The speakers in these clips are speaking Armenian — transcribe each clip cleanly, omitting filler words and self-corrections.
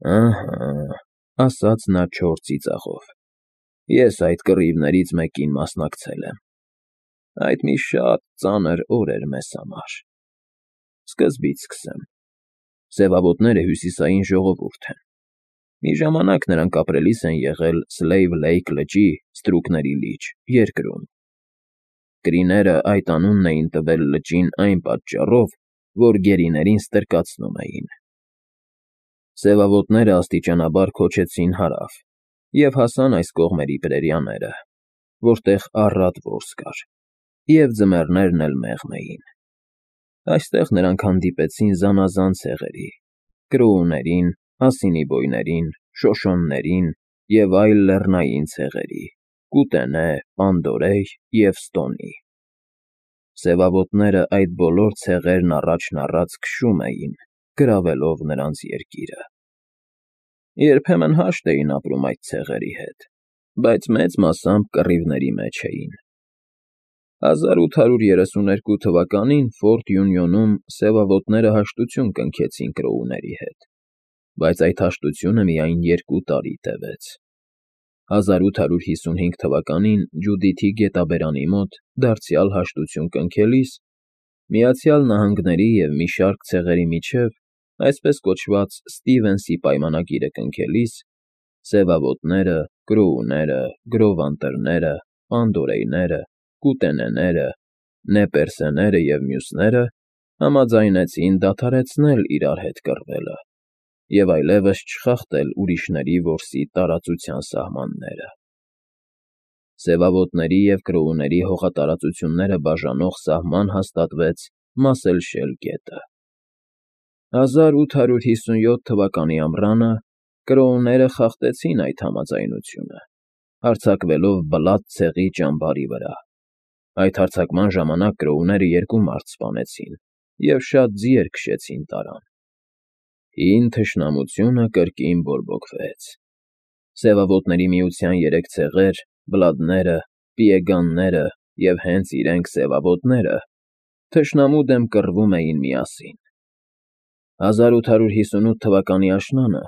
Ահա, ասաց նա չոր ծիծաղով, ես այդ կռիվներից մեկին մասնակցել եմ։ Այդ մի շատ ծանր օր էր մեզ համար։ Սկզբից սկսեմ. Սևավոտները հյուսիսային ժողովուրդ են։ Մի ժամանակ նրանք ապրելիս են եղել Սլեյվ Լեյք լճի Ստրուկների լիճ երկրում։ Կրիները այդ անունն էին տվել լճին այն պատճառով, որ գերիներին ստրկացնում էին։ Սևավոտները աստիճանաբար քոչեցին հարավ և հասան այս կողմերի պրերիաները, որտեղ առատ որս կար, և ձմեռներն էլ մեղմ էին։ Այստեղ նրանք հանդիպեցին զանազան ցեղերի՝ կրոուներին, ասինիբոյներին, շոշոններին և այլ լեռնային ցեղերի՝ Կուտենե, Պանդորեյ և Ստոնի։ Սևավոտները այդ բոլոր ցեղերն առաջն առած քշում էին, գրավելով նրանց երկիրը։ Երբեմն հաշտ էին ապրում այդ ցեղերի հետ, բայց մեծ մասամբ կռիվների մեջ էին։ 1832 թվականին Ֆորտ Յունիոնում սևավոտները հաշտություն կնքեցին կրոուների հետ, բայց այդ հաշտությունը միայն 2 տարի տևեց։ 1855 թվականին Ջուդիթի գետաբերանի մոտ դարձյալ հաշտություն կնքելիս, Միացյալ Նահանգների և մի շարք ցեղերի միջև այսպես կոչված Ստիվենսի պայմանագիրը կնքելիս, սևավոտները, կրոուները, գրովանտրները, պանդորեյները, կուտենեները, նեպերսեները և մյուսները համաձայնեցին դադարեցնել իրար հետ կռվելը և այլևս չխախտել ուրիշների որսի տարածության սահմանները։ Սևավոտների և կրոուների հողատարածությունները բաժանող սահման հաստատվեց Մասելշել գետը։ 1857 թվականի ամռանը կրոուները խախտեցին այդ համաձայնությունը, հարձակվելով Բլադ ցեղի ճամբարի վրա։ Այդ հարձակման ժամանակ կրոուները 2 մարդ սպանեցին և շատ ձիեր քշեցին տարան։ Հին թշնամությունը կրկին բորբոքվեց։ Սևավոտների միության 3 ցեղեր՝ Բլադները, Պիեգանները և հենց իրենք սևավոտները, թշնամու դեմ կռվում էին միասին։ 1858 թվականի աշնանը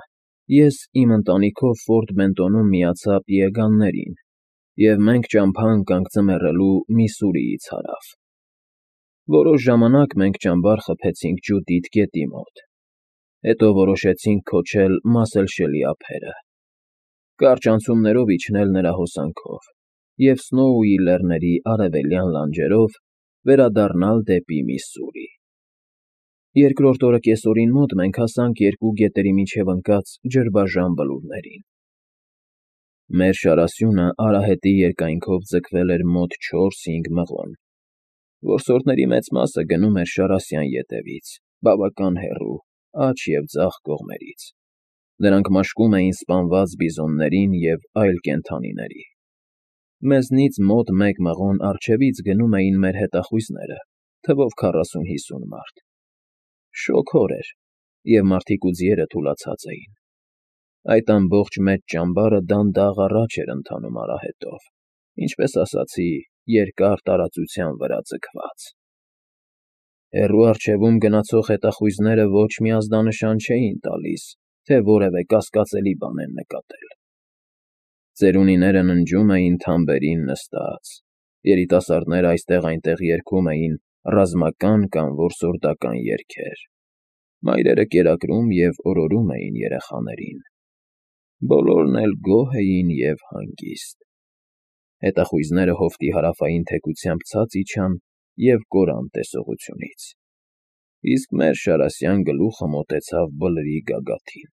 ես իմ ընտանիքով Ֆորտ Բենտոնում միացա Պիեգաններին, և մենք ճամփա ընկանք ձմեռելու Միսսուրիից հարավ։ Որոշ ժամանակ մենք ճամբար խփեցինք Ջուդիթ գետի մոտ, հետո որոշեցինք քոչել Մասելշելի ափերը, կարճ անցումներով իջնել նրա հոսանքով և Սնոուի լեռների արևելյան լանջերով վերադառնալ դեպի Միսսուրի։ Երկրորդ օրը կեսօրին մոտ մենք հասանք 2 գետերի միջև ընկած ջրբաժան բլուրներին։ Մեր շարասյունը արահետի երկայնքով ձգվել էր մոտ 4-5 մղոն։ Որսորդների մեծ մասը գնում էր Շարասյան ետևից, բավական հեռու, աջ և ձախ կողմերից։ Նրանք մաշկում էին սպանված բիզոններին և այլ կենդանիների։ Մեզնից մոտ 1 մղոն առջևից գնում էին մեր հետախույզները, թվով 40-50 մարդ։ Շոգ օր էր, և մարդիկ ու ձիերը թուլացած էին։ Այդ ամբողջ մեծ ճամբարը դանդաղ առաջ էր ընթանում արահետով, ինչպես ասացի, երկար տարածության վրա ձգված։ Հեռու առջևում գնացող հետախույզները ոչ մի ազդանշան չէին տալիս, թե որևէ կասկածելի բան են նկատել։ Ծերունիները ննջում էին թամբերին նստած, երիտասարդները այստեղ֊այնտեղ երգում էին ռազմական կամ որսորդական երգեր, մայրերը կերակրում և օրորում էին երեխաներին։ Բոլորն էլ գոհ էին և հանգիստ։ Հետախույզները հովտի հարավային թեքությամբ ցած իջան և կորան տեսողությունից, իսկ մեր շարասյան գլուխը մոտեցավ բլրի գագաթին։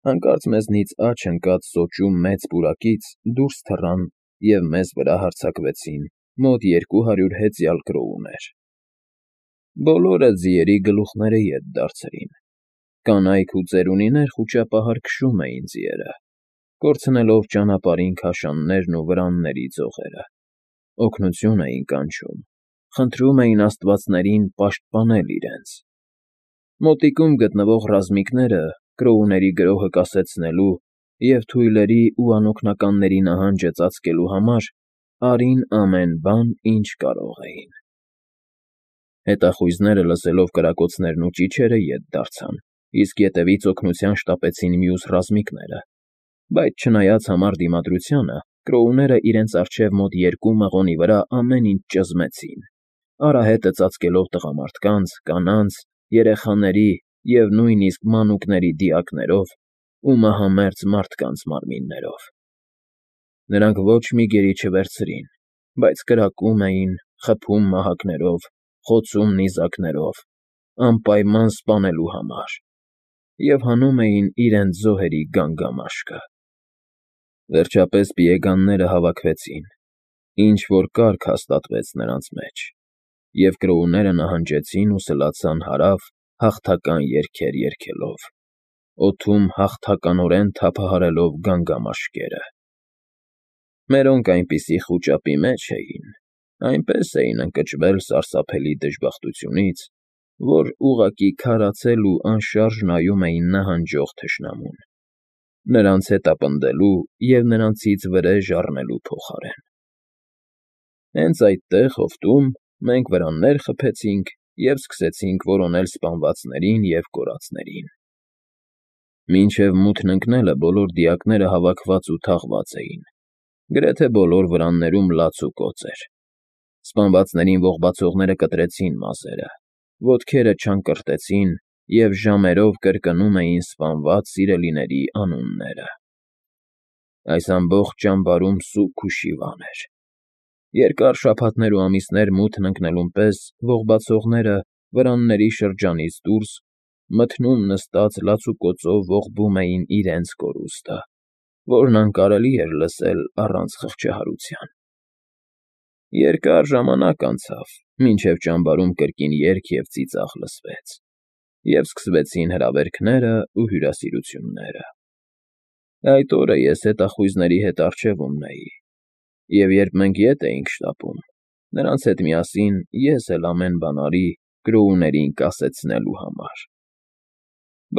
Հանկարծ մեզնից աջ ընկած սոճու մեծ պուրակից դուրս թռան և մեզ վրա հարձակվեցին մոտ 200 հեծյալ կրոուներ։ Բոլորը ձիերի գլուխները ետ դարձրին։ Կանայք ու ծերունիներ խուճապահար քշում էին ձիերը, կորցնելով ճանապարհին քաշաններն ու վրանների ձողերը, օգնություն էին կանչում, խնդրում էին աստվածներին պաշտպանել իրենց։ Մոտիկում գտնվող ռազմիկները կրոուների գրոհը կասեցնելու և թույլերի ու անօգնականների նահանջը ծածկելու համար արին ամեն բան, ինչ կարող էին։ Հետախույզները, լսելով կրակոցներն ու ճիչերը, ետ դարձան իսկ ետևից օգնության շտապեցին մյուս ռազմիկները, բայց չնայած համառ դիմադրությանը, կրոուները իրենց առջև մոտ 2 մղոնի վրա ամեն ինչ ճզմեցին, արահետը ծածկելով տղամարդկանց, կանանց, երեխաների և նույնիսկ մանուկների դիակներով ու մահամերձ մարդկանց մարմիններով։ Նրանք ոչ մի գերի չվերցրին, բայց կրակում էին, խփում մահակներով, խոցում նիզակներով, անպայման սպանելու համար, և հանում էին իրենց զոհերի գանգամաշկը։ Վերջապես պիեգանները հավաքվեցին, ինչ-որ կարգ հաստատվեց նրանց մեջ, և կրոուները նահանջեցին ու սլացան հարավ հաղթական երգեր երգելով, օդում հաղթականորեն թափահարելով գանգամաշկերը։ Մերոնք այնպիսի խուճապի մեջ էին, այնպես էին ընկճվել սարսափելի դժբախտությունից, որ ուղղակի քարացել ու անշարժ նայում էին նահանջող թշնամուն, նրանց հետապնդելու և նրանցից վրեժ առնելու փոխարեն։ Հենց այդտեղ, հովտում, մենք վրաններ խփեցինք և սկսեցինք որոնել սպանվածներին և կորածներին։ Մինչև մութն ընկնելը բոլոր դիակները հավաքված ու թաղված էին, գրեթե բոլոր վրաններում լաց ու կոծ էր։ Սպանվածներին ողբացողները կտրեցին մազերը, ոտքերը չանկրտեցին և ժամերով կրկնում էին սպանված սիրելիների անունները։ Այս ամբողջ ճամբարում սուգ ու շիվան էր։ Երկար շաբաթներ ու ամիսներ մութն ընկնելուն պես ողբացողները վրանների շրջանից դուրս, մթնում նստած լացուկոծով ողբում էին իրենց կորուստը, որն անկարելի էր լսել առանց խղճահարության։ Երկար ժամանակ անցավ, մինչև ճամբարում կրկին երգ և ծիծաղ լսվեց, և սկսվեցին հրավերքները ու հյուրասիրությունները։ Այդ օրը ես հետախույզների հետ առջևումն էի, և երբ մենք ետ էինք շտապում, նրանց հետ միասին ես էլ ամեն բան արի կրոուներին կասեցնելու համար։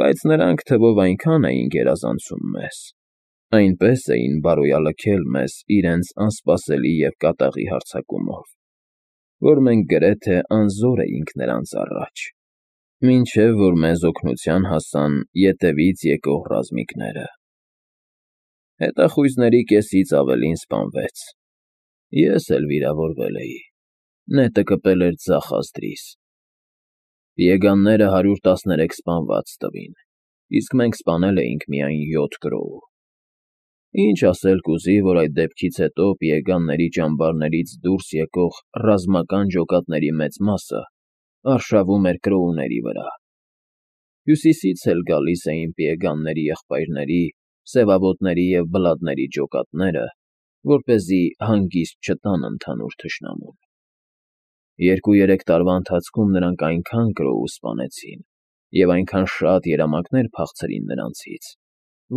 Բայց նրանք թվով այնքան էին գերազանցում մեզ, այնպես էին բարոյալքել մեզ իրենց անսպասելի և կատաղի հարձակումով, որ մենք գրեթե անզոր էինք նրանց առաջ, մինչև որ մեզ օգնության հասան ետևից եկող ռազմիկները։ Հետախույզների կեսից ավելին սպանվեց, ես էլ վիրավորվել էի, նետը կպել էր ձախ ազդրիս։ Պիեգանները 113 սպանված տվին, իսկ մենք սպանել էինք միայն 7 կրոու։ Ինչ ասել կուզի, որ այդ դեպքից հետո պիեգանների ճամբարներից դուրս եկող ռազմական ջոկատների մեծ մասը արշավում էր կրոուների վրա։ Հյուսիսից էլ գալիս էին պիեգանների եղբայրների, սևավոտների և բլադների ջոկատները, որպեսզի հանգիստ չտան ընդհանուր թշնամուն։ 2-3 տարվա ընթացքում նրանք այնքան կրոու սպանեցին և այնքան շատ երամակներ փախցրին նրանցից,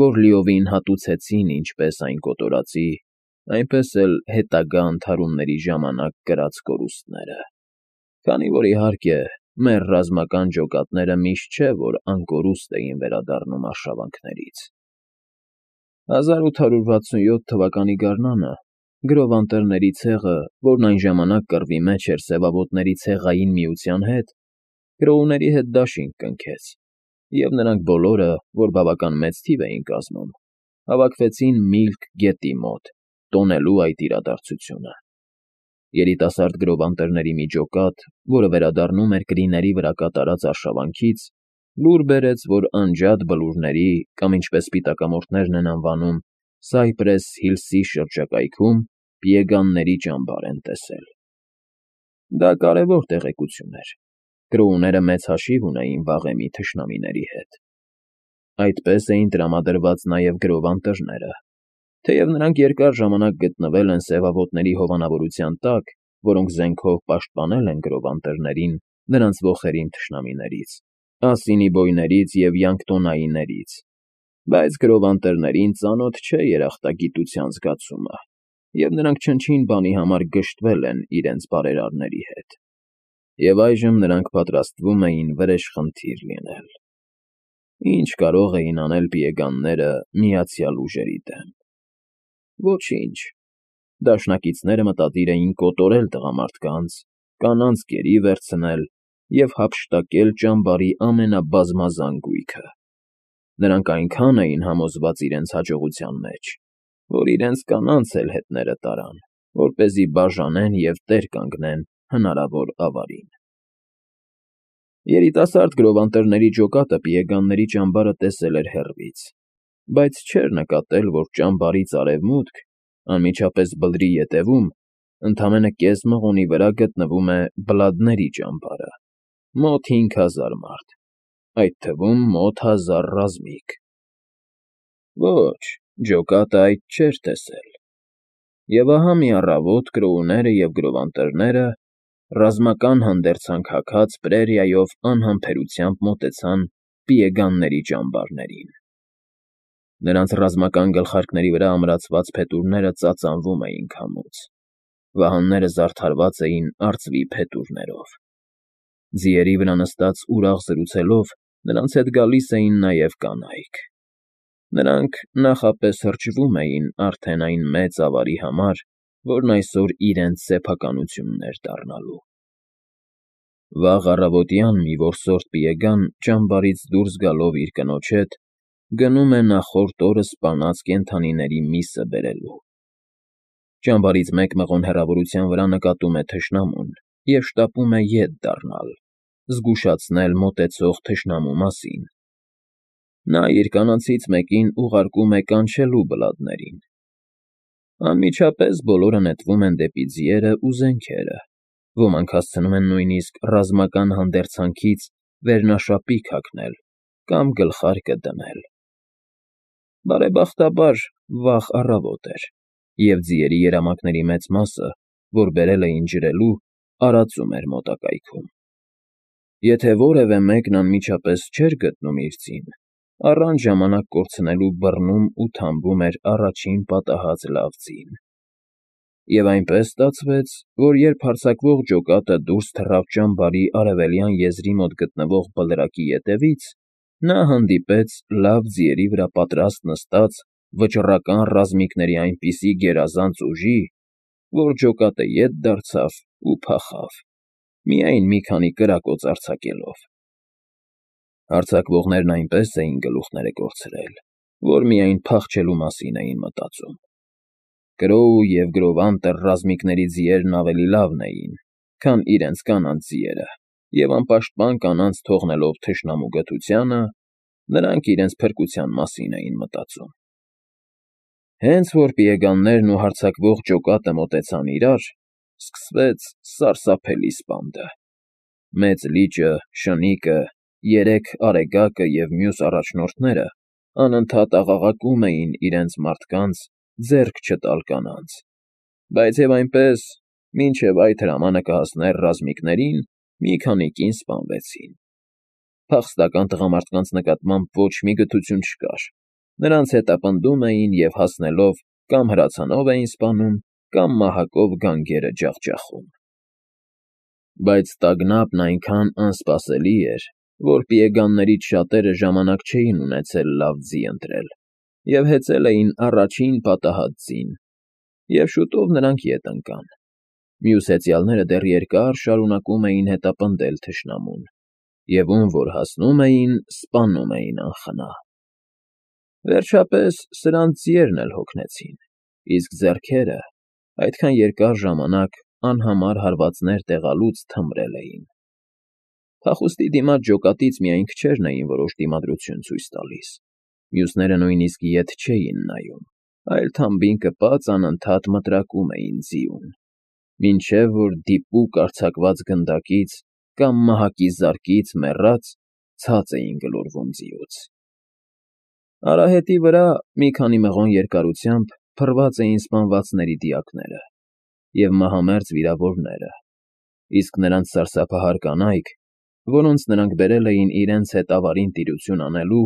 որ լիովին հատուցեցին ինչպես այն կոտորածի, այնպես էլ հետագա ընդհարումների ժամանակ կրած կորուստները, քանի որ, իհարկե, մեր ռազմական ջոկատները միշտ չէ, որ անկորուստ էին վերադառնում արշավանքներից։ 1867 թվականի գարնանը գրովանտերների ցեղը, որն այն ժամանակ կռվի մեջ էր սևավոտների ցեղային միության հետ, կրոուների հետ դաշինք կնքեց, և նրանք բոլորը, որ բավական մեծ թիվ էին կազմում, հավաքվեցին Միլք գետի մոտ, տոնելու այդ իրադարձությունը։ Երիտասարդ գրովանտերների մի ջոկատ, որը վերադառնում էր կրիների վրա կատարած արշավանքից, լուր բերեց, որ անջատ բլուրների կամ, ինչպես սպիտակամորթներն են անվանում, Սայպրես Հիլսի շրջակայքում պիեգանների ճամբար են տեսել։ Դա կարևոր տեղեկություն էր։ Կրոուները մեծ հաշիվ ունեին վաղեմի թշնամիների հետ։ Այդպես էին տրամադրված նաև գրովանտերները, թեև նրանք երկար ժամանակ գտնվել են սևավոտների հովանավորության տակ, որոնք զենքով պաշտպանել են գրովանտերներին նրանց ոխերիմ թշնամիներից, ասինիբոյներից և յանկտոնայիներից, բայց գրովանտերներին ծանոթ չէ երախտագիտության զգացումը, և նրանք չնչին բանի համար գժտվել են իրենց բարերարների հետ, և այժմ նրանք պատրաստվում էին վրեժխնդիր լինել։ Ինչ կարող էին անել պիեգանները Միացյալ Ուժերի դեմ։ Ոչինչ։ Դաշնակիցները մտադիր էին կոտորել տղամարդկանց, կանանց գերի վերցնել և հափշտակել ճամբարի ամենաբազմազան գույքը։ Նրանք այնքան էին համոզված իրենց հաջողության մեջ, որ իրենց կանանց էլ հետները տարան, որպեսզի բաժանեն և տեր կանգնեն հնարավոր ավարին։ Երիտասարդ գրովանտերների ջոկատը պիեգանների ճամբարը տեսել էր հեռվից, բայց չէր նկատել, որ ճամբարից արևմուտք, անմիջապես բլրի ետևում, ընդամենը կես մղոնի վրա գտնվում է բլադների ճամբարը, մոտ 5000 մարդ, այդ թվում մոտ 1000 ռազմիկ։ Ոչ, ջոկատը այդ չէր տեսել։ Եվ ահա մի առավոտ կրոուները և գրովանտերները ռազմական հանդերձանք հագած պրերիայով անհամբերությամբ մոտեցան պիեգանների ճամբարներին։ Նրանց ռազմական գլխարկների վրա ամրացված փետուրները ծածանվում էին քամուց, վահանները զարդարված էին արծվի փետուրներով։ Ձիերի վրա նստած ուրախ զրուցելով նրանց հետ գալիս էին նաև կանայք։ Նրանք նախապես հրճվում էին արդեն այն մեծ ավարի համար, որն այսօր իրենց սեփականությունն էր դառնալու։ Վաղ առավոտյան մի որսորդ պիեգան ճամբարից դուրս գալով իր կնոջ հետ գնում է նախորդ օրը սպանած կենդանիների միսը բերելու։ Ճամբարից մեկ մղոն հեռավորության վրա նկատում է թշնամուն և շտապում է ետ դառնալ, զգուշացնել մոտեցող թշնամու մասին։ Նա իր կանացից մեկին ուղարկում է կանչելու բլադներին։ Անմիջապես բոլորը նետվում են դեպի ձիերը ու զենքերը, ոմանք հասցնում են նույնիսկ ռազմական հանդերձանքից վերնաշապիկ հագնել կամ գլխարկը դնել։ Բարեբախտաբար, վաղ առավոտ էր, և ձիերի երամակների մեծ մասը, որ բերել էին ջրելու, արածում էր մոտակայքում։ Եթե որևէ մեկն անմիջապես չէր գտնում իր ձին, առանց ժամանակ կորցնելու բռնում ու թամբում էր առաջին պատահած լավ ձին։ Եվ այնպես ստացվեց, որ երբ հարձակվող ջոկատը դուրս թռավ ճամբարի արևելյան եզրի մոտ գտնվող բլրակի ետևից, նա հանդիպեց լավ ձիերի վրա պատրաստ նստած վճռական ռազմիկների այնպիսի գերազանց ուժի, որ ջոկատը ետ դարձավ ու փախավ, միայն մի քանի կրակոց արձակելով։ Հարձակվողներն այնպես էին գլուխները կորցրել, որ միայն փախչելու մասին էին մտածում։ Կրոու և գրովանտեր ռազմիկների ձիերն ավելի լավն էին, քան իրենց կանանց ձիերը, և անպաշտպան կանանց թողնելով թշնամու գթությանը, նրանք իրենց փրկության մասին էին մտածում։ Հենց որ պիեգաններն ու հարձակվող ջոկատը մոտեցան իրար, սկսվեց սարսափելի սպանդը։ Մեծ լիճը, շնիկը, երեք արեգակը և մյուս առաջնորդները անընդհատ աղաղակում էին իրենց մարդկանց ձեռք չտալ կանանց, բայց և այնպես, մինչև այդ հրամանը կհասներ ռազմիկներին, մի քանի կին սպանվեցին։ Փախստական տղամարդկանց նկատմամբ ոչ մի գթություն չկար, նրանց հետապնդում էին և հասնելով կամ հրացանով էին սպանում, կամ մահակով գանգերը ջախջախում։ Բայց տագնապն այնքան անսպասելի էր, որ պիեգաններից շատերը ժամանակ չէին ունեցել լավ ձի ընտրել և հեծել էին առաջին պատահած ձին, և շուտով նրանք ետ ընկան։ Մյուս հեծյալները դեռ երկար շարունակում էին հետապնդել թշնամուն, և ում որ հասնում էին, սպանում էին անխնա։ Վերջապես սրանց ձիերն էլ հոգնեցին, իսկ ձեռքերը այդքան երկար ժամանակ անհամար հարվածներ տեղալուց թմրել էին։ Փախուստի դիմաց ջոկատից միայն քչերն էին որոշ դիմադրություն ցույց տալիս, մյուսները նույնիսկ ետ չէին նայում, այլ թամբին կպած անընդհատ մտրակում էին ձիուն, մինչև որ դիպուկ արձակված գնդակից կամ մահակի զարկից մեռած ցած էին գլորվում ձիուց։ Արահետի վրա մի քանի մղոն երկարությամբ փռված էին սպանվածների դիակները և մահամերձ վիրավորները, իսկ նրանց սարսափահար կանայք, որոնց նրանք բերել էին իրենց հետ ավարին տիրություն անելու,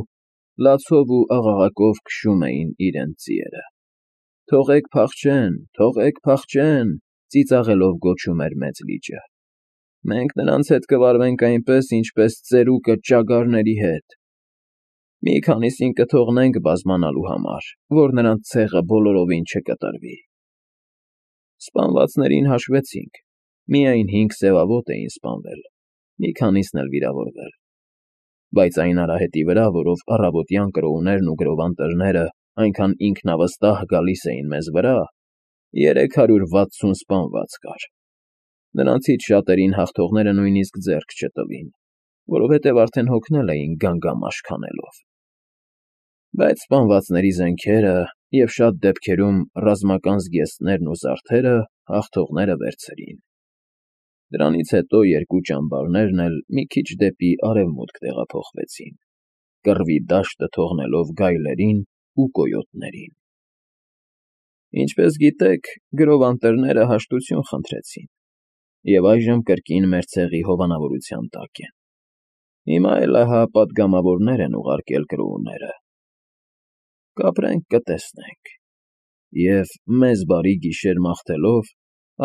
լացով ու աղաղակով քշում էին իրենց ձիերը։ «Թողեք փախչեն, թողեք փախչեն», ծիծաղելով գոչում էր մեծ լիճը։ «Մենք նրանց հետ կվարվենք այնպես, ինչպես ծերուկը ճագարների հետ։ Մի քանիսին կթողնենք բազմանալու համար, որ նրանց ցեղը բոլորովին չկտրվի»։ Սպանվածներին հաշվեցինք, միայն 5 սևավոտ էին սպանվել, մի քանիսն էլ վիրավորվել։ Բայց այն արահետի վրա, որով առավոտյան կրոուներն ու գրովանտերները այնքան ինքնավստահ գալիս էին մեզ վրա, 360 սպանված կար։ Նրանցից շատերին հաղթողները նույնիսկ ձեռք չտվին, որովհետև արդեն հոգնել էին գանգամաշ քանելով։ Բայց սպանվածների զենքերը և շատ դեպքերում ռազմական զգեստներն ու զարդերը հաղթողները վերցրին։ Դրանից հետո երկու ճամբարներն էլ մի քիչ դեպի արևմուտք տեղափոխվեցին, կռվի դաշտը թողնելով գայլերին ու կոյոտներին։ Ինչպես գիտեք, գրովանտերները հաշտություն խնդրեցին, և այժմ կրկին մեր ցեղի հովանավորության տակ են։ Հիմա էլ ահա պատգամավորներ են ուղարկել կրոուները։ Կապրենք, կտեսնենք։ Եվ մեզ բարի գիշեր մաղթելով,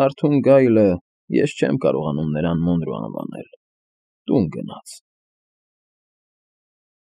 արթուն գայլը, ես չեմ կարողանում նրան Մոնրո անվանել, տուն գնաց։